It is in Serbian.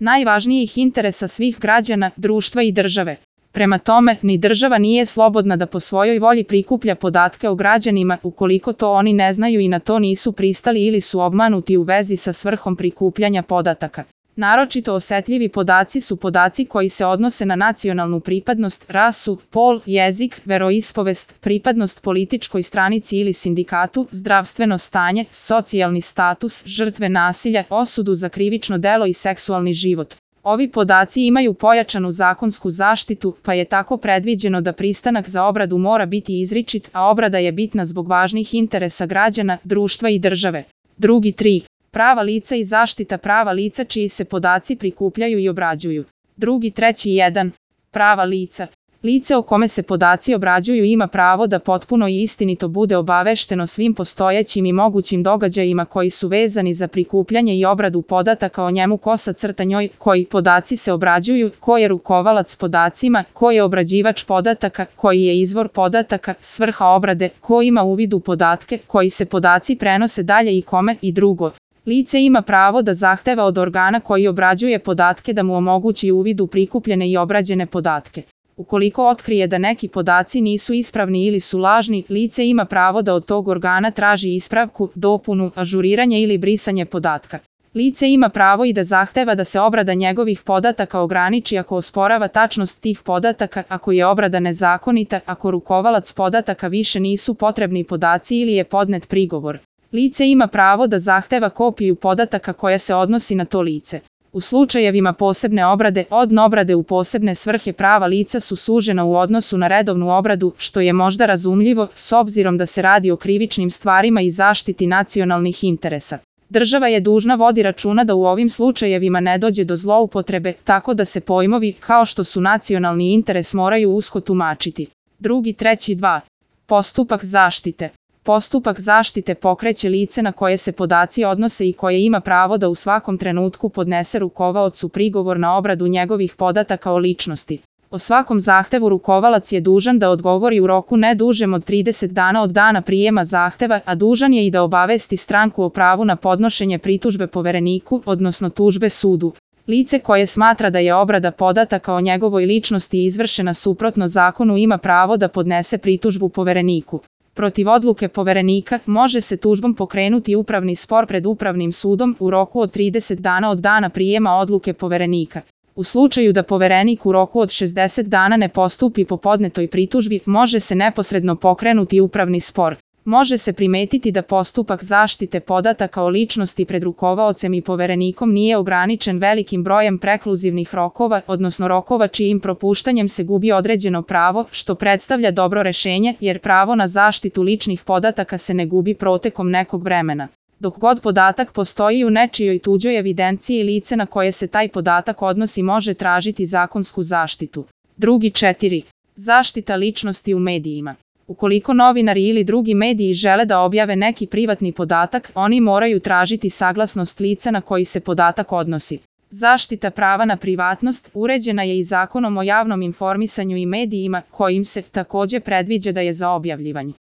najvažnijih interesa svih građana, društva i države. Prema tome, ni država nije slobodna da po svojoj volji prikuplja podatke o građanima ukoliko to oni ne znaju i na to nisu pristali ili su obmanuti u vezi sa svrhom prikupljanja podataka. Naročito osetljivi podaci su podaci koji se odnose na nacionalnu pripadnost, rasu, pol, jezik, veroispovest, pripadnost političkoj stranici ili sindikatu, zdravstveno stanje, socijalni status, žrtve nasilja, osudu za krivično delo i seksualni život. Ovi podaci imaju pojačanu zakonsku zaštitu, pa je tako predviđeno da pristanak za obradu mora biti izričit, a obrada je bitna zbog važnih interesa građana, društva i države. Drugi 3. Prava lica i zaštita prava lica čiji se podaci prikupljaju i obrađuju. Drugi 3.1. Prava lica. Lice o kome se podaci obrađuju ima pravo da potpuno i istinito bude obavešteno svim postojećim i mogućim događajima koji su vezani za prikupljanje i obradu podataka o njemu _njoj, koji podaci se obrađuju, ko je rukovalac podacima, ko je obrađivač podataka, koji je izvor podataka, svrha obrade, ko ima uvid u podatke, koji se podaci prenose dalje i kome i drugo. Lice ima pravo da zahteva od organa koji obrađuje podatke da mu omogući uvid u prikupljene i obrađene podatke. Ukoliko otkrije da neki podaci nisu ispravni ili su lažni, lice ima pravo da od tog organa traži ispravku, dopunu, ažuriranje ili brisanje podatka. Lice ima pravo i da zahteva da se obrada njegovih podataka ograniči ako osporava tačnost tih podataka, ako je obrada nezakonita, ako rukovalac podataka više nisu potrebni podaci ili je podnet prigovor. Lice ima pravo da zahteva kopiju podataka koja se odnosi na to lice. U slučajevima posebne obrade, obrade u posebne svrhe prava lica su sužena u odnosu na redovnu obradu, što je možda razumljivo, s obzirom da se radi o krivičnim stvarima i zaštiti nacionalnih interesa. Država je dužna vodi računa da u ovim slučajevima ne dođe do zloupotrebe, tako da se pojmovi, kao što su nacionalni interes, moraju usko tumačiti. Drugi 3.2. Postupak zaštite. Postupak zaštite pokreće lice na koje se podaci odnose i koje ima pravo da u svakom trenutku podnese rukovaocu prigovor na obradu njegovih podataka o ličnosti. O svakom zahtevu rukovalac je dužan da odgovori u roku ne dužem od 30 dana od dana prijema zahteva, a dužan je i da obavesti stranku o pravu na podnošenje pritužbe povereniku, odnosno tužbe sudu. Lice koje smatra da je obrada podataka o njegovoj ličnosti izvršena suprotno zakonu ima pravo da podnese pritužbu povereniku. Protiv odluke poverenika može se tužbom pokrenuti upravni spor pred upravnim sudom u roku od 30 dana od dana prijema odluke poverenika. U slučaju da poverenik u roku od 60 dana ne postupi po podnetoj pritužbi, može se neposredno pokrenuti upravni spor. Može se primetiti da postupak zaštite podataka o ličnosti pred rukovaocem i poverenikom nije ograničen velikim brojem prekluzivnih rokova, odnosno rokova čijim propuštanjem se gubi određeno pravo, što predstavlja dobro rešenje, jer pravo na zaštitu ličnih podataka se ne gubi protekom nekog vremena. Dok god podatak postoji u nečijoj tuđoj evidenciji, lice na koje se taj podatak odnosi može tražiti zakonsku zaštitu. Drugi 4. Zaštita ličnosti u medijima. Ukoliko novinari ili drugi mediji žele da objave neki privatni podatak, oni moraju tražiti saglasnost lica na koji se podatak odnosi. Zaštita prava na privatnost uređena je i Zakonom o javnom informisanju i medijima, kojim se takođe predviđa da je za objavljivanje